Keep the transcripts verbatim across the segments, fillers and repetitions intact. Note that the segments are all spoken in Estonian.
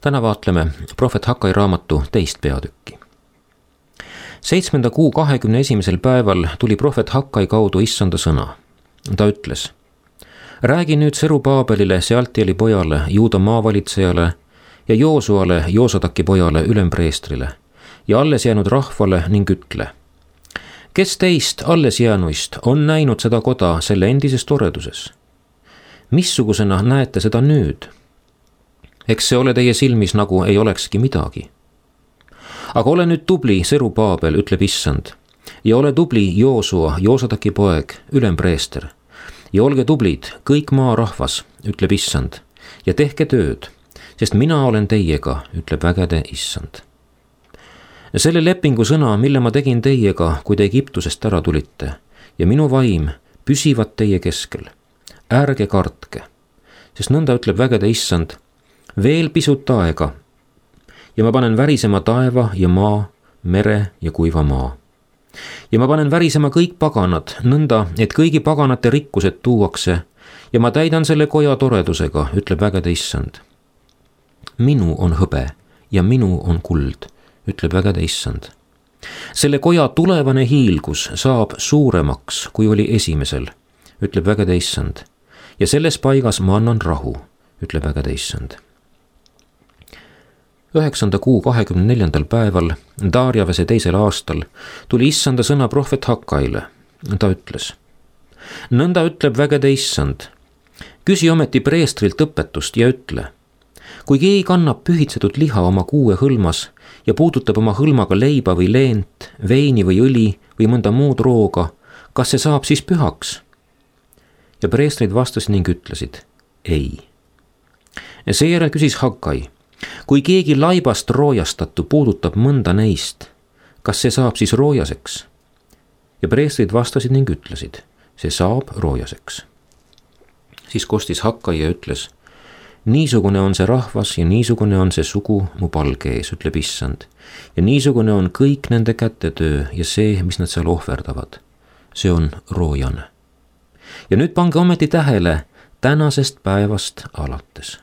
täna vaatleme prohvet Hakkai raamatu teist peatükki. Seitsmenda kuu kahekümne esimesel päeval tuli prohvet Hakkai kaudu issanda sõna. Ta ütles: räägi nüüd Serubaabelile, Sealtieli pojale, Juuda maavalitsejale ja Joosuale, Joosataki pojale, ülempreestrile ja alles jäänud rahvale ning ütle: kes teist alles jäänuist on näinud seda koda selle endises toreduses? Missugusena näete seda nüüd? Eks see ole teie silmis nagu ei olekski midagi. Aga ole nüüd tubli, Serubaabel, ütleb issand, ja ole tubli, Joosua, Joosataki poeg, ülempreester, ja olge tublid, kõik maarahvas, ütleb issand, ja tehke tööd, sest mina olen teiega, ütleb vägede issand. Selle lepingu sõna, mille ma tegin teiega, kui te Egiptusest ära tulite, ja minu vaim püsivad teie keskel. Ärge kartke, sest nõnda ütleb vägede issand, veel pisut aega, ja ma panen värisema taeva ja maa, mere ja kuiva maa. Ja ma panen värisema kõik paganad, nõnda, et kõigi paganate rikkused tuuakse, ja ma täidan selle koja toredusega, ütleb vägede issand. Minu on hõbe ja minu on kuld, ütleb vägede issand. Selle koja tulevane hiilgus saab suuremaks, kui oli esimesel, ütleb vägede issand. Ja selles paigas ma annan rahu, ütleb vägede issand. Üheksanda kuu kahekümne neljandal päeval, Daarjavese teisel aastal, tuli issanda sõna prohvet Hakkaile. Ta ütles: nõnda ütleb vägede issand, küsi ometi preestrilt õpetust ja ütle: kui keegi kannab pühitsetud liha oma kuue hõlmas ja puudutab oma hõlmaga leiba või leent, veini või õli või mõnda muud rooga, kas see saab siis pühaks? Ja preestrid vastasid ning ütlesid: ei. Seejärel küsis Hakkai: kui keegi laibast roojastatu puudutab mõnda neist, kas see saab siis roojaseks? Ja preestrid vastasid ning ütlesid: see saab roojaseks. Siis kostis Hakkai ja ütles: niisugune on see rahvas ja niisugune on see sugu mu palge ees, ütleb issand. Ja niisugune on kõik nende kätetöö ja see, mis nad seal ohverdavad. See on roojane. Ja nüüd pange ometi tähele tänasest päevast alates.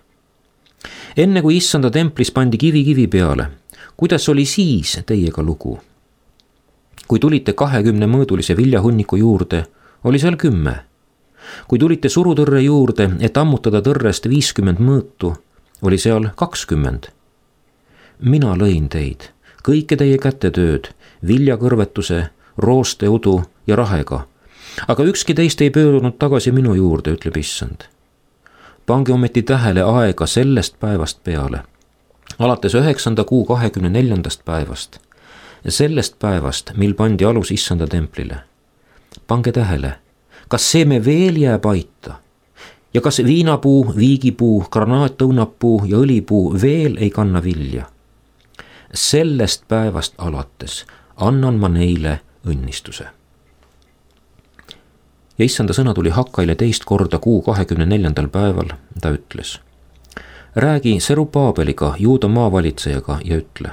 Enne kui issanda templis pandi kivi kivi peale, kuidas oli siis teiega lugu? Kui tulite kahekümne mõõdulise viljahunniku juurde, oli seal kümme. Kui tulite surutõrre juurde, et ammutada tõrrest viiskümmend mõõtu, oli seal kakskümmend. Mina lõin teid, kõike teie kätetööd, viljakõrvetuse, roosteudu ja rahega, aga ükski teist ei pöörunud tagasi minu juurde, ütleb issand. Pange ometi tähele aega sellest päevast peale, alates üheksanda kuu kahekümne neljandast päevast, sellest päevast, mil pandi alus issanda templile. Pange tähele, kas seeme veel jääb aita ja kas viinapuu, viigipuu, granaatõunapuu ja õlipuu veel ei kanna vilja. Sellest päevast alates annan ma neile õnnistuse. Ja issanda sõna tuli Hakkaile teist korda kuu kahekümne neljandal päeval, ta ütles: räägi Serubaabeliga, Juuda maavalitsejaga ja ütle: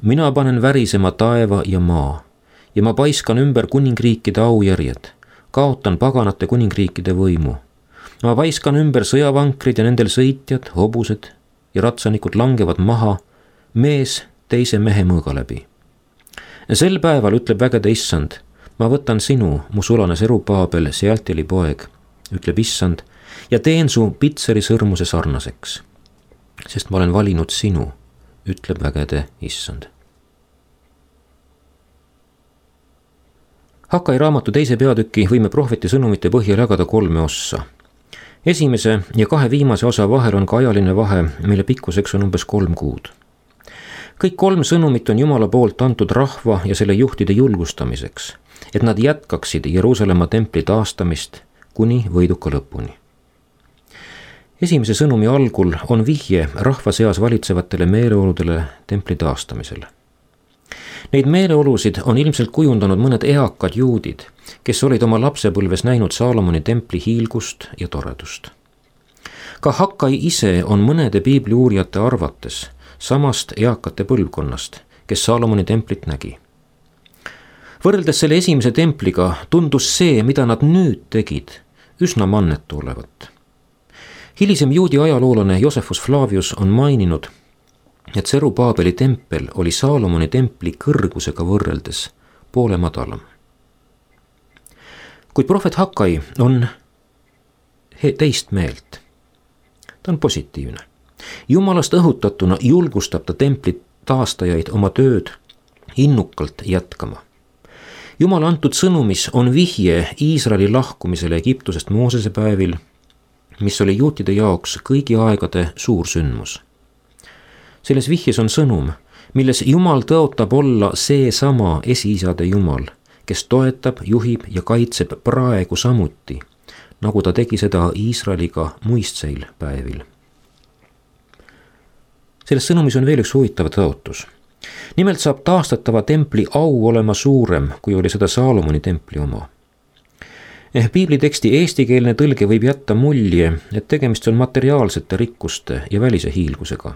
mina panen värisema taeva ja maa ja ma paiskan ümber kuningriikide aujärjed, kaotan paganate kuningriikide võimu. Ma paiskan ümber sõjavankrid ja nendel sõitjad, hobused ja ratsanikud langevad maha, mees teise mehe mõõga läbi. Sel päeval ütleb vägede issand: ma võtan sinu, mu sulane Serubaabel, Sealtieli poeg, ütleb issand, ja teen su pitseri sõrmuse sarnaseks, sest ma olen valinud sinu, ütleb vägede issand. Hakkai raamatu teise peatüki võime prohveti sõnumite põhjal jagada kolme ossa. Esimese ja kahe viimase osa vahel on ka ajaline vahe, mille pikkuseks on umbes kolm kuud. Kõik kolm sõnumit on Jumala poolt antud rahva ja selle juhtide julgustamiseks, et nad jätkaksid Jeruusalemma templi taastamist kuni võiduka lõpuni. Esimese sõnumi algul on vihje rahva seas valitsevatele meeleoludele templi taastamisele. Neid meeleolusid on ilmselt kujundanud mõned eakad juudid, kes olid oma lapsepõlves näinud Saalomoni templi hiilgust ja toredust. Ka Hakkai ise on mõnede piibli uurijate arvates samast eakate põlvkonnast, kes Saalomoni templit nägi. Võrreldes selle esimese templiga tundus see, mida nad nüüd tegid, üsna mannetu olevat. Hilisem juudi ajaloolane Josephus Flavius on maininud, et Serubaabeli tempel oli Saalomoni templi kõrgusega võrreldes poole madalam. Kuid prohvet Hakkai on teist meelt. Ta on positiivne. Jumalast õhutatuna julgustab ta templi taastajaid oma tööd innukalt jätkama. Jumala antud sõnumis on vihje Iisraeli lahkumisele Egiptusest Moosese päevil, mis oli juutide jaoks kõigi aegade suur sündmus. Selles vihjes on sõnum, milles Jumal tõotab olla seesama esiisade Jumal, kes toetab, juhib ja kaitseb praegu samuti, nagu ta tegi seda Iisraeliga muistseil päevil. Selles sõnumis on veel üks huvitav tõotus. Nimelt saab taastatava templi au olema suurem, kui oli seda Saalomoni templi oma. Eh, piibliteksti eestikeelne tõlge võib jätta mulje, et tegemist on materiaalsete rikkuste ja välise hiilgusega.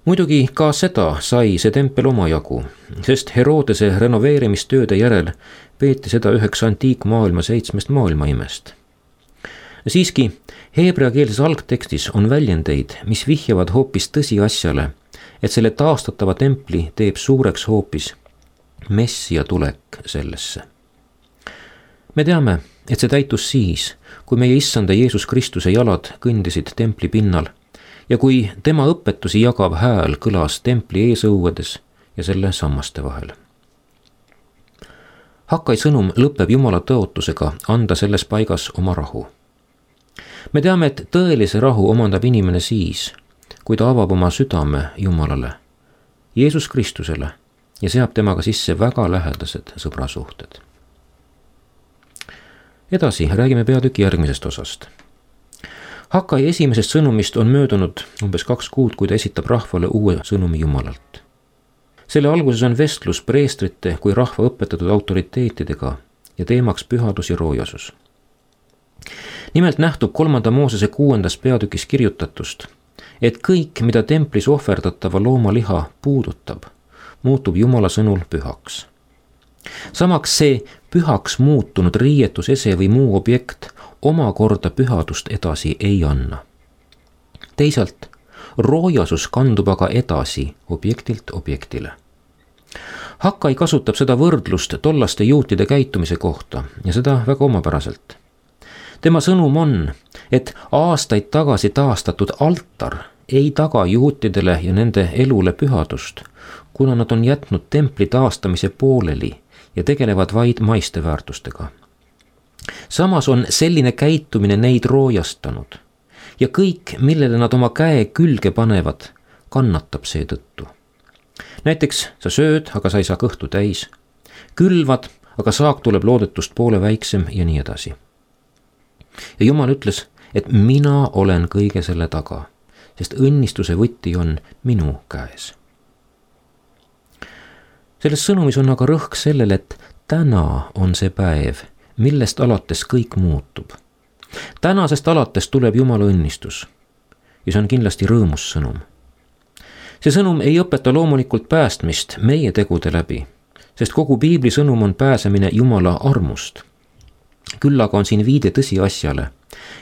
Muidugi ka seda sai see tempel omajagu, sest Herodese renoveerimistööde järel peeti seda üheks antiikmaailma seitsmest maailmaimest. Siiski, heebreakeelses algtekstis on väljendeid, mis vihjavad hoopis tõsiasjale, et selle taastatava templi teeb suureks hoopis Messia tulek sellesse. Me teame, et see täitus siis, kui meie issanda Jeesus Kristuse jalad kõndisid templi pinnal ja kui tema õpetusi jagav hääl kõlas templi eesõuedes ja selle sammaste vahel. Hakkai sõnum lõpeb Jumala tõotusega anda selles paigas oma rahu. Me teame, et tõelise rahu omandab inimene siis, kui ta avab oma südame Jumalale, Jeesus Kristusele ja seab temaga sisse väga lähedased sõbrasuhted. Edasi räägime peatüki järgmisest osast. Hakkai esimesest sõnumist on möödunud umbes kaks kuud, kui ta esitab rahvale uue sõnumi Jumalalt. Selle alguses on vestlus preestrite kui rahva õpetatud autoriteetidega ja teemaks pühadus ja roojasus. Nimelt nähtub kolmanda Moosese kuuendas peatükis kirjutatust, et kõik, mida templis ohverdatava looma liha puudutab, muutub Jumala sõnul pühaks. Samaks see pühaks muutunud riietus, ese või muu objekt omakorda pühadust edasi ei anna. Teisalt, roojasus kandub aga edasi objektilt objektile. Hakkai kasutab seda võrdlust tollaste juutide käitumise kohta ja seda väga omapäraselt. Tema sõnum on, et aastaid tagasi taastatud altar ei taga juutidele ja nende elule pühadust, kuna nad on jätnud templi taastamise pooleli ja tegelevad vaid maiste väärtustega. Samas on selline käitumine neid roojastanud ja kõik, millele nad oma käe külge panevad, kannatab seetõttu. Näiteks sa sööd, aga sa ei saa kõhtu täis, külvad, aga saak tuleb loodetust poole väiksem ja nii edasi. Ja Jumal ütles, et mina olen kõige selle taga, sest õnnistuse võti on minu käes. Selles sõnumis on aga rõhk sellele, et täna on see päev, millest alates kõik muutub. Tänasest alates tuleb Jumala õnnistus ja see on kindlasti rõõmus sõnum. See sõnum ei õpeta loomulikult päästmist meie tegude läbi, sest kogu piibli sõnum on pääsemine Jumala armust. Küll aga on siin viide tõsiasjale,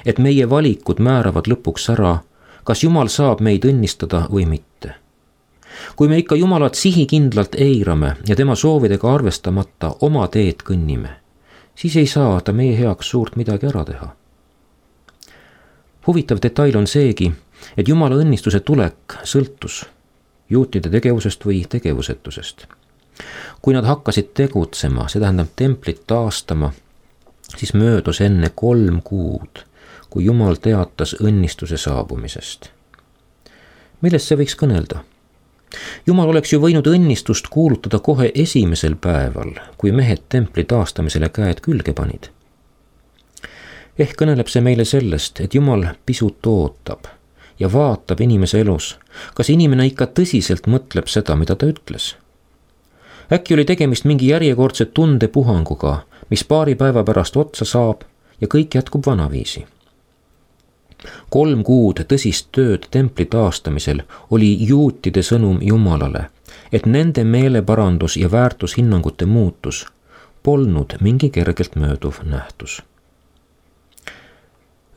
et meie valikud määravad lõpuks ära, kas Jumal saab meid õnnistada või mitte. Kui me ikka Jumalat sihikindlalt eirame ja tema soovidega arvestamata oma teed kõnnime, siis ei saa ta meie heaks suurt midagi ära teha. Huvitav detail on seegi, et Jumala õnnistuse tulek sõltus juutide tegevusest või tegevusetusest. Kui nad hakkasid tegutsema, see tähendab templit taastama, siis möödus enne kolm kuud, kui Jumal teatas õnnistuse saabumisest. Millest see võiks kõnelda? Jumal oleks ju võinud õnnistust kuulutada kohe esimesel päeval, kui mehed templi taastamisele käed külge panid. Ehk kõneleb see meile sellest, et Jumal pisut ootab ja vaatab inimese elus, kas inimene ikka tõsiselt mõtleb seda, mida ta ütles. Äkki oli tegemist mingi järjekordse tundepuhanguga, mis paari päeva pärast otsa saab ja kõik jätkub vanaviisi. Kolm kuud tõsist tööd templi taastamisel oli juutide sõnum Jumalale, et nende meeleparandus ja väärtushinnangute muutus polnud mingi kergelt mööduv nähtus.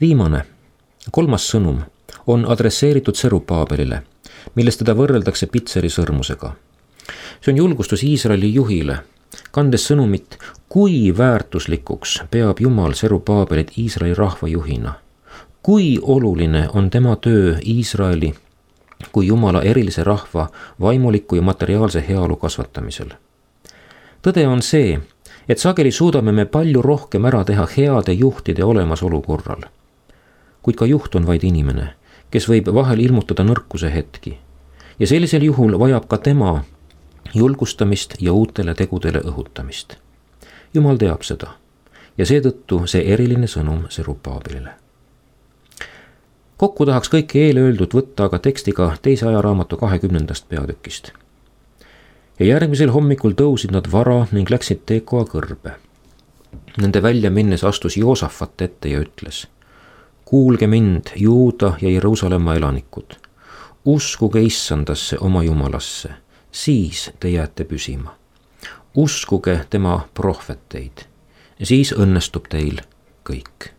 Viimane, kolmas sõnum on adresseeritud Serubaabelile, milles teda võrreldakse Pitseri sõrmusega. see on julgustus Iisraeli juhile, kandes sõnumit, kui väärtuslikuks peab Jumal Serubaabelit Iisraeli rahva juhina. Kui oluline on tema töö Iisraeli kui Jumala erilise rahva vaimuliku ja materiaalse heaolu kasvatamisel. Tõde on see, et sageli suudame me palju rohkem ära teha heade juhtide olemasolu korral. Kuid ka juht on vaid inimene, kes võib vahel ilmutada nõrkuse hetki. Ja sellisel juhul vajab ka tema julgustamist ja uutele tegudele õhutamist. Jumal teab seda ja seetõttu see eriline sõnum Serubaabelile. Kokku tahaks kõike eelöeldut võtta aga tekstiga teise ajaraamatu kahekümnendast peatükist. Ja järgmisel hommikul tõusid nad vara ning läksid Tekoa kõrbe. Nende välja minnes astus Joosafat ette ja ütles: kuulge mind, Juuda ja Jeruusalemma elanikud, uskuge Issandasse oma Jumalasse, siis te jääte püsima. Uskuge tema prohveteid, siis õnnestub teil kõik.